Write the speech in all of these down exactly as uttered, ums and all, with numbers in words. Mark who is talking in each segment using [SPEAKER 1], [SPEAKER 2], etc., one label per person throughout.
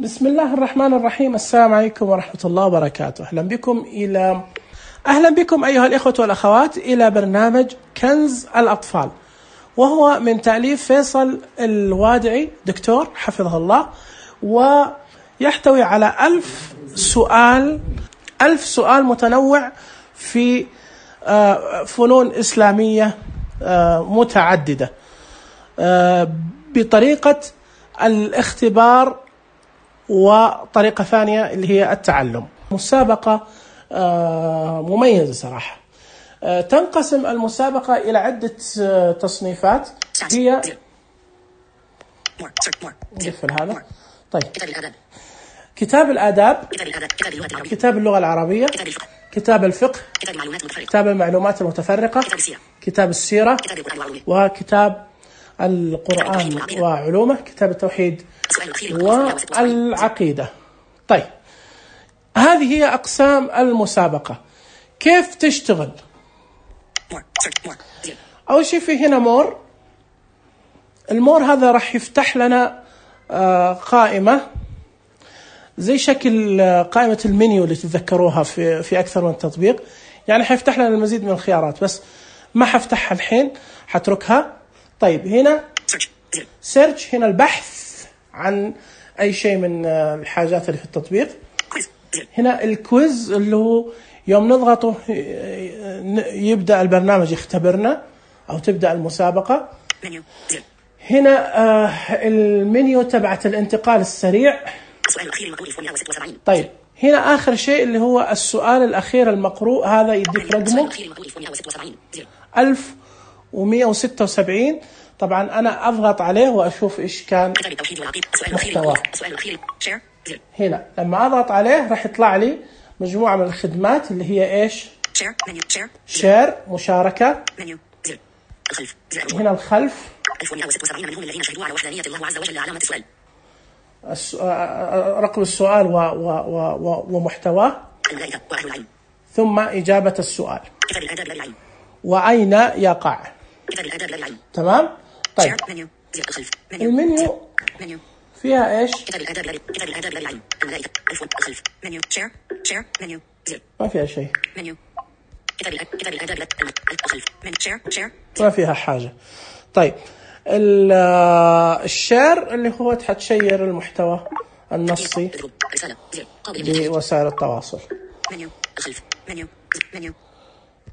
[SPEAKER 1] بسم الله الرحمن الرحيم. السلام عليكم ورحمة الله وبركاته. أهلا بكم إلى أهلا بكم أيها الإخوة والأخوات إلى برنامج كنز الأطفال، وهو من تأليف فيصل الوادعي دكتور حفظه الله، ويحتوي على ألف سؤال ألف سؤال متنوع في فنون إسلامية متعددة بطريقة الاختبار وطريقة ثانية اللي هي التعلم. مسابقة مميزة صراحة. تنقسم المسابقة إلى عدة تصنيفات. هي نقفل هذا. طيب، كتاب الآداب، كتاب اللغة العربية، كتاب الفقه، كتاب المعلومات المتفرقة، كتاب السيرة، وكتاب القرآن وعلومه، كتاب التوحيد والعقيدة. طيب، هذه هي أقسام المسابقة. كيف تشتغل؟ أول شيء في هنا مور. المور هذا راح يفتح لنا قائمة زي شكل قائمة المنيو اللي تتذكروها في في أكثر من تطبيق، يعني حيفتح لنا المزيد من الخيارات، بس ما حفتحها الحين، حتركها. طيب، هنا سيرش، هنا البحث عن أي شيء من الحاجات اللي في التطبيق. هنا الكويز اللي هو يوم نضغطه يبدأ البرنامج يختبرنا أو تبدأ المسابقة. هنا المنيو تبعت الانتقال السريع. طيب، هنا آخر شيء اللي هو السؤال الأخير المقروء، هذا يديك رقمه ألف ومئة وستة وسبعين. طبعا أنا أضغط عليه وأشوف إيش كان محتواه. هنا لما أضغط عليه راح يطلع لي مجموعة من الخدمات اللي هي إيش؟ شير، مشاركة. هنا الخلف، رقم السؤال و و و ومحتواه، ثم إجابة السؤال، وأين يقع. تمام. طيب، المنيو فيها إيش؟ ما فيها شيء، ما فيها حاجة. طيب، الشير اللي هو تحتشير المحتوى النصي بوسائل التواصل.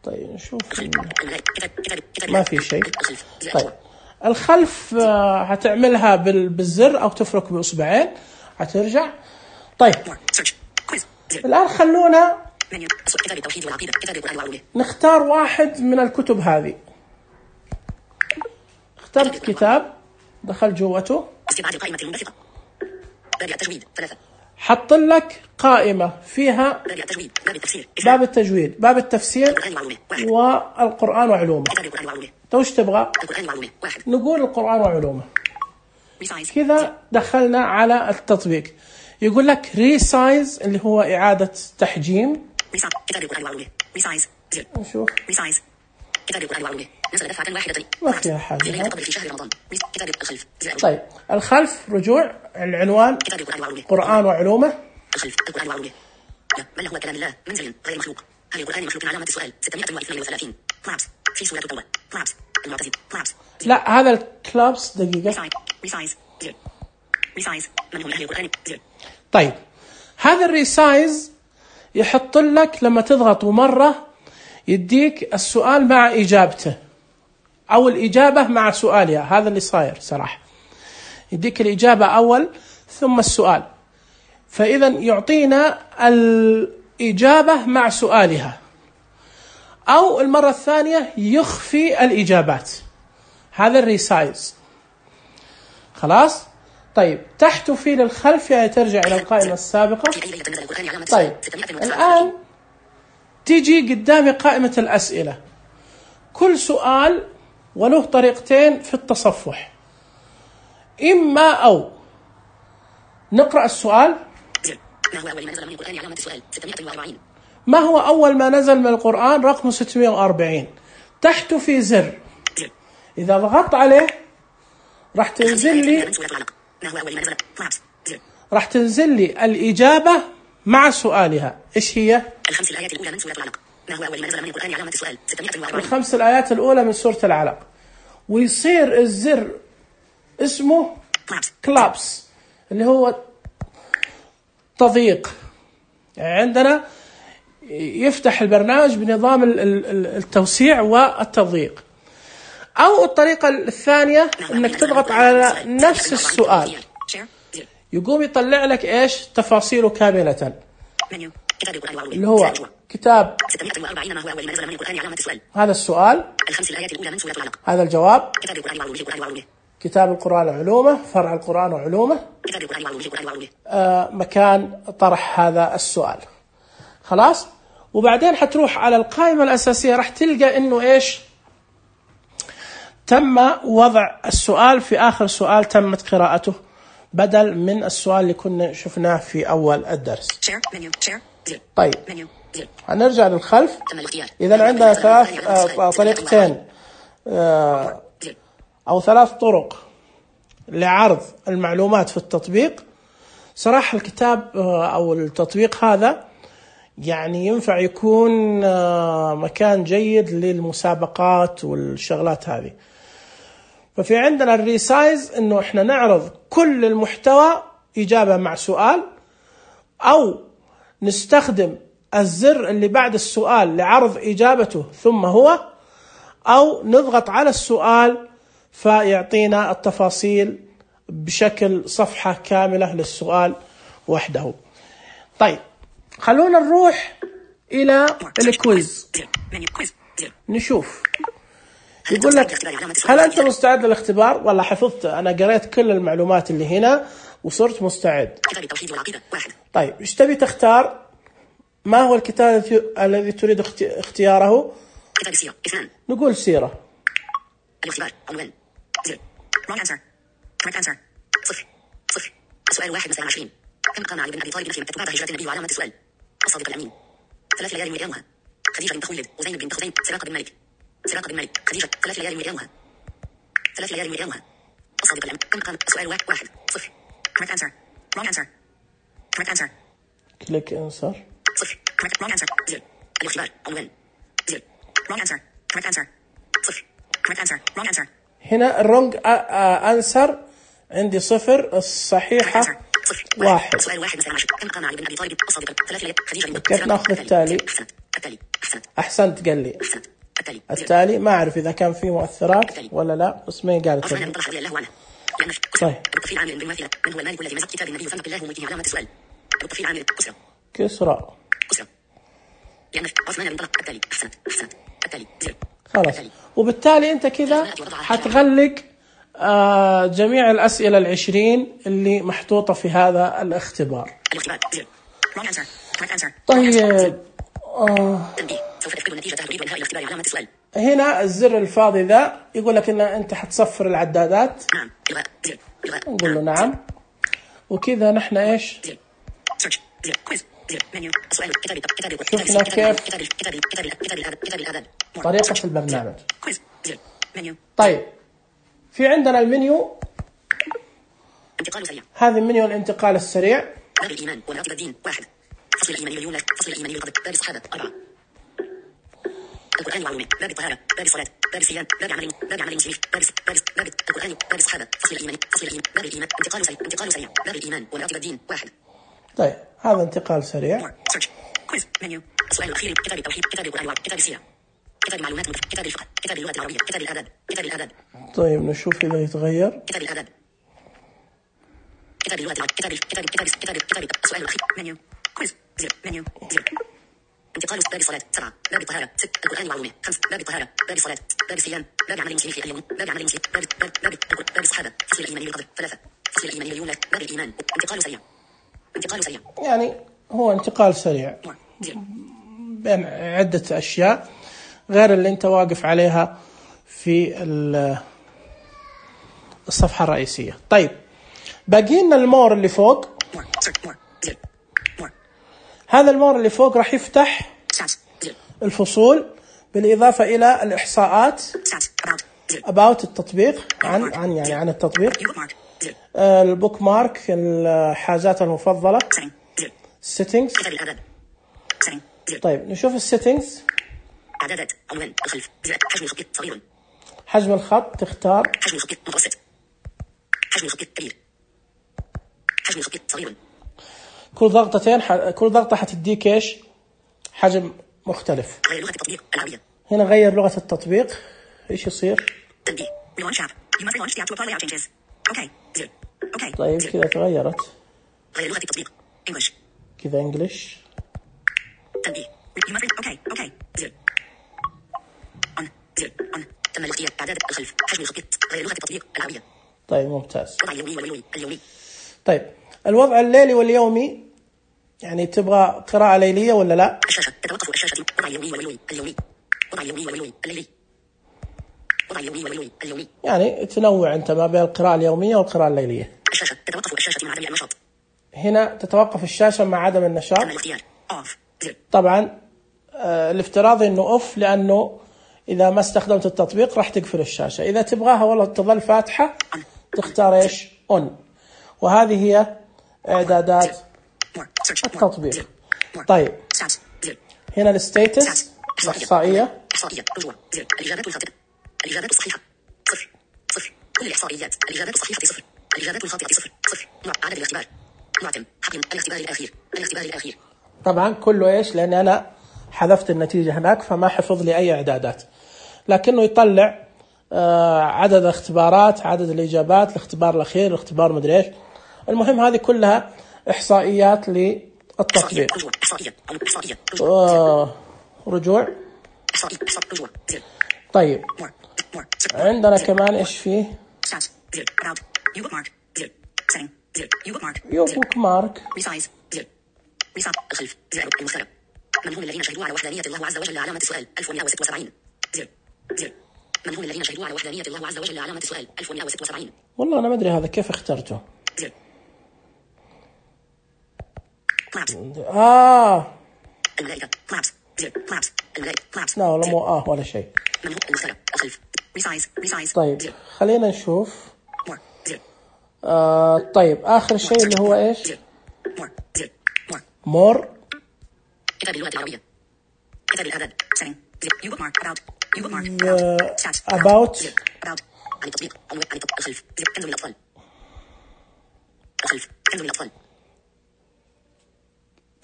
[SPEAKER 1] طيب، نشوف. ما في شيء. طيب، الخلف هتعملها بالزر أو تفرك بإصبعين هترجع. طيب، الآن خلونا نختار واحد من الكتب هذه. اخترت كتاب، دخل جوته، حط لك قائمة فيها باب التجويد، باب التفسير، والقرآن وعلومه. توش تبغى؟ نقول القرآن وعلومه. كذا دخلنا على التطبيق. يقول لك ريسايز اللي هو إعادة تحجيم. نشوف. ما فيها حاجة. طيب، الخلف رجوع العنوان قرآن وعلومه. من هو كلام الله منزل غير مخلوق؟ هل القرآن مخلوق؟ علامة السؤال ستمائة واثنين وثلاثين. كلابس في سورة التوبة. كلابس المعتزلة. كلابس. لا، هذا الكلابس دقيقة. ريسايز ريسايز من هم أهل القرآن؟ طيب، هذا الريسايز يحط لك لما تضغط مرة يديك السؤال مع إجابته، أو الإجابة مع سؤالها. هذا اللي صاير صراحة، يديك الإجابة أول ثم السؤال، فإذا يعطينا الإجابة مع سؤالها، أو المرة الثانية يخفي الإجابات. هذا الريسايز. خلاص. طيب، تحت في للخلف يعني ترجع إلى القائمة السابقة. طيب، الآن تيجي قدامي قائمة الأسئلة. كل سؤال وله طريقتين في التصفح. إما أو نقرأ السؤال. ما هو أول ما نزل من القرآن؟ رقم ستمائة وأربعين. تحت في زر، إذا ضغطت عليه راح تنزل لي راح تنزل لي الإجابة مع سؤالها. إيش هي؟
[SPEAKER 2] الخمس الآيات الأولى من سورة العلق. ما هو أول ما نزل من القرآن علامة السؤال؟ ستمائة وأربعين.
[SPEAKER 1] الخمس الآيات الأولى من سورة العلق، ويصير الزر اسمه كلابس اللي هو تضييق. يعني عندنا يفتح البرنامج بنظام التوسيع والتضييق. أو الطريقة الثانية إنك تضغط على نفس السؤال يقوم يطلع لك إيش تفاصيله كاملة، اللي هو كتاب
[SPEAKER 2] ستمائة وأربعين. ما هو أول ما نزل من القرآن علامة السؤال؟
[SPEAKER 1] هذا السؤال.
[SPEAKER 2] الخمس الآيات الأولى من سورة العلق.
[SPEAKER 1] هذا الجواب.
[SPEAKER 2] كتاب القرآن وعلومه. القرآن وعلومه.
[SPEAKER 1] كتاب القرآن وعلومه، فرع القرآن وعلومه.
[SPEAKER 2] كتاب القرآن وعلومه. القرآن وعلومه.
[SPEAKER 1] آه مكان طرح هذا السؤال. خلاص. وبعدين حتروح على القائمة الأساسية راح تلقى إنه إيش تم وضع السؤال في آخر سؤال تمت قراءته، بدل من السؤال اللي كنا شفناه في أول الدرس. طيب هنرجع للخلف. إذا عندنا ثلاث آه طريقتين آه أو ثلاث طرق لعرض المعلومات في التطبيق. صراحة الكتاب آه أو التطبيق هذا يعني ينفع يكون آه مكان جيد للمسابقات والشغلات هذه. ففي عندنا الريسايز إنه إحنا نعرض كل المحتوى إجابة مع سؤال، أو نستخدم الزر اللي بعد السؤال لعرض إجابته ثم هو، أو نضغط على السؤال فيعطينا التفاصيل بشكل صفحة كاملة للسؤال وحده. طيب خلونا نروح إلى الكويز نشوف. يقول لك هل أنت مستعد للاختبار؟ والله حفظت، أنا قريت كل المعلومات اللي هنا وصرت مستعد. طيب إيش تبي تختار؟ ما هو الكتاب الذي تريد اختياره؟
[SPEAKER 2] كتاب السيرة. اثنان.
[SPEAKER 1] نقول سيرة.
[SPEAKER 2] الاختبار. عنوان. زر. wrong answer. correct answer. صفر. صفر. السؤال واحد مثلا عشرين. كم قام علي بن أبي طالب في مكة بعد هجرة النبي وعلامة السؤال؟ الصادق الأمين. ثلاث ليال وأيامها. خديجة بنت خويلد وزينب بنت خزيمة سراقة بن مالك. سراقة بن مالك. خديجة. ثلاث ليال وأيامها. ثلاث ليال وأيامها. الصادق الأمين. كم قام؟ السؤال واحد. واحد. صفر. correct answer. wrong answer. correct answer.
[SPEAKER 1] click answer.
[SPEAKER 2] صفر. correct wrong answer. زر. الاختبار. عنوان. زر. wrong answer. correct answer. صفر. correct answer. wrong answer.
[SPEAKER 1] هنا الرونج انسر عندي صفر، الصحيحة واحد.
[SPEAKER 2] السؤال واحد مثلا عشر. كم قام علي بن أبي طالب؟ الصادق. ثلاث ليال. خديجة بنت.
[SPEAKER 1] كيف ناخذ التالي؟
[SPEAKER 2] أحسنت. التالي. أحسنت.
[SPEAKER 1] أحسنت قال لي.
[SPEAKER 2] أحسنت. التالي.
[SPEAKER 1] التالي ما أعرف إذا كان فيه مؤثرات ولا لا، بس ما قالت.
[SPEAKER 2] عثمان بن طلحة رضي الله عنه. لأن
[SPEAKER 1] طيب.
[SPEAKER 2] التفصيل عامل بالمماثلة. من هو المالك الذي مزق كتاب النبي فنطق الله ملكه علامة السؤال؟ التفصيل عامل. كسرى.
[SPEAKER 1] كسرى.
[SPEAKER 2] كسرى. لأن عثمان بن طلحة. التالي. أحسنت. أحسنت. التالي. زر.
[SPEAKER 1] خلاص. وبالتالي أنت كذا حتغلق آه جميع الأسئلة العشرين اللي محطوطة في هذا الاختبار.
[SPEAKER 2] الاختبار. زر. wrong answer. correct answer.
[SPEAKER 1] طيب آه
[SPEAKER 2] تنبيه. سوف تفقد النتيجة تريد إنهاء الاختبار علامة السؤال.
[SPEAKER 1] هنا الزر الفاضي ذا يقول لك إن أنت حتصفر العدادات.
[SPEAKER 2] نعم. إلغاء. زر. إلغاء.
[SPEAKER 1] نقول له نعم. وكذا نحن إيش؟
[SPEAKER 2] زر. search. زر. quiz. زر. menu. السؤال. كتاب كتاب
[SPEAKER 1] شفنا كيف
[SPEAKER 2] كتاب كتاب كتاب كتاب الآداب كتاب الآداب.
[SPEAKER 1] طريقة البرنامج.
[SPEAKER 2] quiz. زر. menu.
[SPEAKER 1] طيب في عندنا المنيو.
[SPEAKER 2] انتقال سريع.
[SPEAKER 1] هذا المنيو الانتقال السريع.
[SPEAKER 2] باب الإيمان ومراتب الدين. واحد. فصل الإيمان مليون. فصل الإيمان للقدر. باب الصحابة. أربعة. القرآن وعلومه. باب الطهارة. باب الصلاة. باب الصيام. باب عمل باب عمل المسلمين. باب باب باب القرآن. باب الصحابة. فصل الإيمان. فصل الإيمان. باب الإيمان. انتقال سريع. انتقال سريع. باب الإيمان ومراتب الدين. واحد.
[SPEAKER 1] طيب هذا انتقال سريع.
[SPEAKER 2] search. quiz. menu. السؤال الأخير. كتاب التوحيد. كتاب القرآن. كتاب السيرة. كتاب المعلومات. كتاب الفقه. كتاب اللغة العربية. كتاب الآداب. كتاب الآداب.
[SPEAKER 1] طيب نشوف إذا يتغير.
[SPEAKER 2] كتاب الآداب. كتاب اللغة العربية. كتاب كتاب كتاب كتاب كتاب السؤال الأخير. menu. quiz. زر. menu. زر. انتقال باب الصلاة. سبعة. باب الطهارة. ست. القرآن وعلومه. خمس. باب الطهارة. باب الصلاة. باب الصيام. باب عمل المسلمين في اليوم. باب عمل المسلمين. باب باب باب باب الصحابة. فصل الإيمان للقدر. ثلاثة. فصل الإيمان لليوم. باب الإيمان. انتقال سريع. انتقال سريع.
[SPEAKER 1] يعني هو انتقال سريع
[SPEAKER 2] زر.
[SPEAKER 1] بين عدة أشياء غير اللي أنت واقف عليها في الصفحة الرئيسية. طيب باقي لنا المور اللي فوق. هذا المور اللي فوق راح يفتح الفصول بالإضافة إلى الإحصاءات about التطبيق عن عن يعني عن التطبيق.
[SPEAKER 2] زر
[SPEAKER 1] البوك مارك، الحاجات المفضلة.
[SPEAKER 2] setting زر
[SPEAKER 1] settings.
[SPEAKER 2] كتاب الإعداد setting زر
[SPEAKER 1] طيب نشوف السيتنجز.
[SPEAKER 2] إعدادات عنوان الخلف زر حجم الخط صغير
[SPEAKER 1] حجم الخط تختار
[SPEAKER 2] حجم الخط متوسط حجم الخط كبير حجم الخط صغير.
[SPEAKER 1] كل ضغطتين ح... كل ضغطة حتديك ايش؟ حجم مختلف.
[SPEAKER 2] غير لغة التطبيق العربية.
[SPEAKER 1] هنا غير لغة التطبيق، ايش يصير؟
[SPEAKER 2] تنبيه relaunch app you must relaunch the app to apply layout changes. اوكي زر اوكي
[SPEAKER 1] طيب
[SPEAKER 2] زر.
[SPEAKER 1] كذا تغيرت.
[SPEAKER 2] غير لغة التطبيق English.
[SPEAKER 1] كذا انجلش.
[SPEAKER 2] تنبيه you must اوكي اوكي زر on زر on تم الاختيار. إعداد الخلف حجم الخط غير لغة التطبيق العربية.
[SPEAKER 1] طيب ممتاز.
[SPEAKER 2] وضع اليومي والليلي اليومي.
[SPEAKER 1] طيب الوضع الليلي واليومي، يعني تبغى قراءة ليلية ولا لا؟
[SPEAKER 2] الشاشة تتوقف الشاشة. وضع اليومي والليلي اليومي. وضع اليومي والليلي الليلي. وضع اليومي والليلي اليومي.
[SPEAKER 1] يعني تنوع انت ما بين القراءة اليومية والقراءة الليلية.
[SPEAKER 2] الشاشة تتوقف الشاشة مع عدم النشاط.
[SPEAKER 1] هنا تتوقف الشاشة مع عدم النشاط.
[SPEAKER 2] تم الاختيار off زر
[SPEAKER 1] طبعا آه الافتراضي انه اوف، لانه اذا ما استخدمت التطبيق راح تقفل الشاشة. اذا تبغاها والله تظل فاتحة تختار ايش؟ اون. وهذه هي اعدادات التطبيق. طيب هنا الستيتس الاحصائية.
[SPEAKER 2] احصائية رجوع زر الاجابات الخاطئة. الاجابات الصحيحة صفر صفر. كل الاحصائيات الاجابات الصحيحة صفر. الاجابات الخاطئة صفر صفر. نوع عدد الاختبار معتم حقيم الاختبار الاخير الاختبار الاخير.
[SPEAKER 1] طبعا كله ايش؟ لان انا حذفت النتيجة هناك فما حفظ لي اي اعدادات، لكنه يطلع آه عدد الاختبارات، عدد الاجابات، الاختبار الاخير، الاختبار مدري ايش. المهم هذه كلها احصائيات للتطبيق.
[SPEAKER 2] رجوع احصائية احصائية
[SPEAKER 1] آه رجوع.
[SPEAKER 2] احصائية رجوع زر.
[SPEAKER 1] طيب
[SPEAKER 2] more more
[SPEAKER 1] عندنا كمان ايش فيه؟
[SPEAKER 2] stats زر about you bookmark زر setting زر you bookmark
[SPEAKER 1] يو بوك مارك.
[SPEAKER 2] resize زر resize الخلف زر المخترع. من هم الذين شهدوا على وحدانية الله عز وجل علامة السؤال ألف ومئة وستة وسبعين زر زر. من هم الذين شهدوا على وحدانية الله عز وجل علامة السؤال ألف ومئة وستة وسبعين.
[SPEAKER 1] والله انا ما ادري هذا كيف اخترته.
[SPEAKER 2] زر maps
[SPEAKER 1] اه
[SPEAKER 2] الملائكة maps زر maps الملائكة maps.
[SPEAKER 1] لا والله مو اه ولا شيء.
[SPEAKER 2] من هو المخترع الخلف resize resize
[SPEAKER 1] طيب
[SPEAKER 2] زر
[SPEAKER 1] خلينا نشوف.
[SPEAKER 2] more زر
[SPEAKER 1] آه طيب آخر شيء اللي هو إيش؟
[SPEAKER 2] زر more زر more
[SPEAKER 1] مور.
[SPEAKER 2] كتاب اللغة العربية. كتاب الإعداد setting زر you bookmark about you bookmark
[SPEAKER 1] The
[SPEAKER 2] about stats
[SPEAKER 1] about.
[SPEAKER 2] زر about عن التطبيق عنوان عن التطبيق الخلف زر كنز من الأطفال الخلف كنز من الأطفال.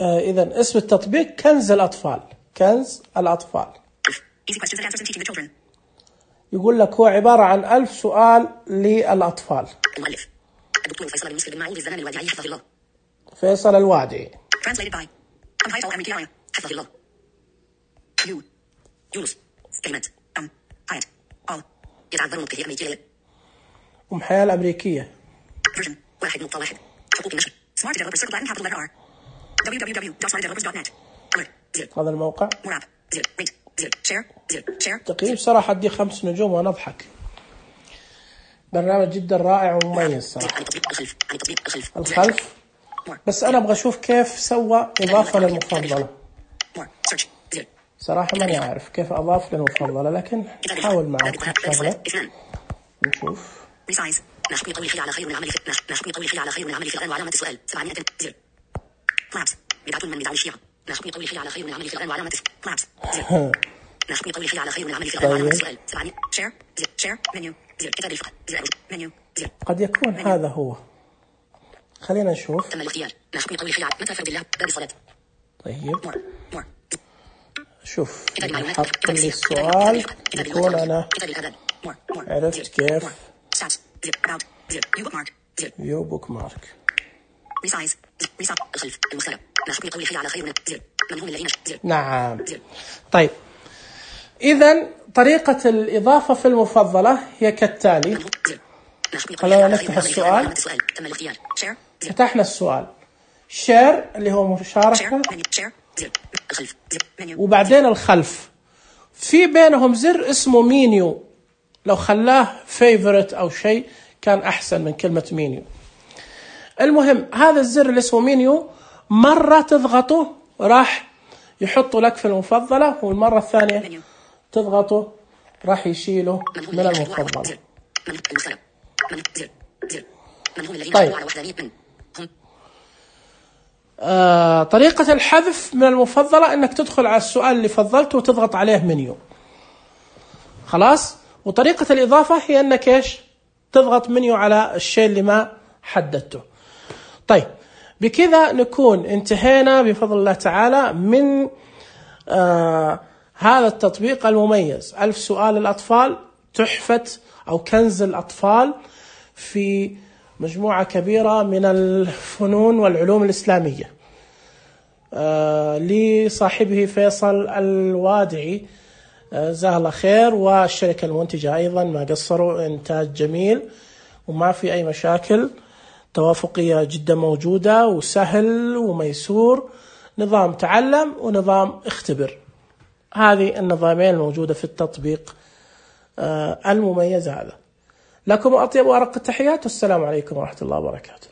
[SPEAKER 1] آه إذا اسم التطبيق كنز الأطفال. كنز الأطفال.
[SPEAKER 2] easy questions and answers in teaching the children.
[SPEAKER 1] يقول لك هو عبارة عن ألف سؤال للأطفال.
[SPEAKER 2] المؤلف الدكتور فيصل بن مسلم بن معوذ الزمان الوادعي حفظه الله.
[SPEAKER 1] فيصل الوادعي.
[SPEAKER 2] translated by Amhaytal Amrikiyaya حفظه الله. يو يونس كلمة أم حياة all يتعذرون كثير أمريكية.
[SPEAKER 1] أم حياة الأمريكية.
[SPEAKER 2] version واحد نقطة واحد. حقوق النشر smart developers circle Latin capital letter R w w w dot smart developers dot net. alert زر
[SPEAKER 1] هذا الموقع.
[SPEAKER 2] more app زر rate زر share زر share.
[SPEAKER 1] تقييم صراحة أدي خمس نجوم ونضحك. برنامج جدا رائع ومميز صراحة.
[SPEAKER 2] عن التطبيق الخلف عن التطبيق الخلف
[SPEAKER 1] الخلف. بس أنا أبغى أشوف كيف سوى إضافة للمفضلة.
[SPEAKER 2] more search زر
[SPEAKER 1] صراحة ماني عارف كيف أضاف للمفضلة، لكن نحاول معك شغلة نشوف.
[SPEAKER 2] resize ما حكم قول الحي على خير من العمل في ما حكم قول الحي على خير من العمل في الآن وعلامة السؤال سبعمائة زر maps بدعة من بدع الشيعة. ما حكم قول الحي على خير من العمل في الآن وعلامة maps زر ما حكم قول الحي على خير من العمل في الآن وعلامة السؤال سبعمائة share زر share menu زر كتاب الفقه زر menu زر.
[SPEAKER 1] قد يكون هذا هو. خلينا نشوف.
[SPEAKER 2] تم الاختيار. ما حكم قول الحي على متى فرد الله باب الصلاة.
[SPEAKER 1] طيب
[SPEAKER 2] more more
[SPEAKER 1] شوف حط لي السؤال يكون أنا عرفت كيف. يو بوك مارك.
[SPEAKER 2] resize resize الخلف المخترع. ما حكم قول الحي على خير من زر من هم الذين زر.
[SPEAKER 1] نعم. طيب إذا طريقة الإضافة في المفضلة هي كالتالي. خلونا نفتح السؤال.
[SPEAKER 2] تم الاختيار. share
[SPEAKER 1] فتحنا السؤال. شير اللي هو مشاركة.
[SPEAKER 2] الخلف
[SPEAKER 1] وبعدين الخلف في بينهم زر اسمه مينيو، لو خلاه فيفورت أو شيء كان أحسن من كلمة مينيو. المهم هذا الزر اللي اسمه مينيو مرة تضغطه راح يحطه لك في المفضلة، والمرة الثانية تضغطه راح يشيله من المفضلة.
[SPEAKER 2] من هم الذين
[SPEAKER 1] طيب.
[SPEAKER 2] حصلوا على وحدانية من هم
[SPEAKER 1] آه طريقة الحذف من المفضلة انك تدخل على السؤال اللي فضلته وتضغط عليه منيو، خلاص. وطريقة الإضافة هي انك ايش؟ تضغط منيو على الشيء اللي ما حددته. طيب بكذا نكون انتهينا بفضل الله تعالى من آه هذا التطبيق المميز، ألف سؤال الأطفال، تحفة أو كنز الأطفال في مجموعة كبيرة من الفنون والعلوم الإسلامية، آه لصاحبه فيصل الوادعي جزاه الله خير، والشركة المنتجة أيضا ما قصروا، إنتاج جميل وما في أي مشاكل، توافقية جدا موجودة وسهل وميسور، نظام تعلم ونظام اختبر. هذه النظامين الموجودة في التطبيق المميز هذا. لكم أطيب وأرق التحيات، والسلام عليكم ورحمة الله وبركاته.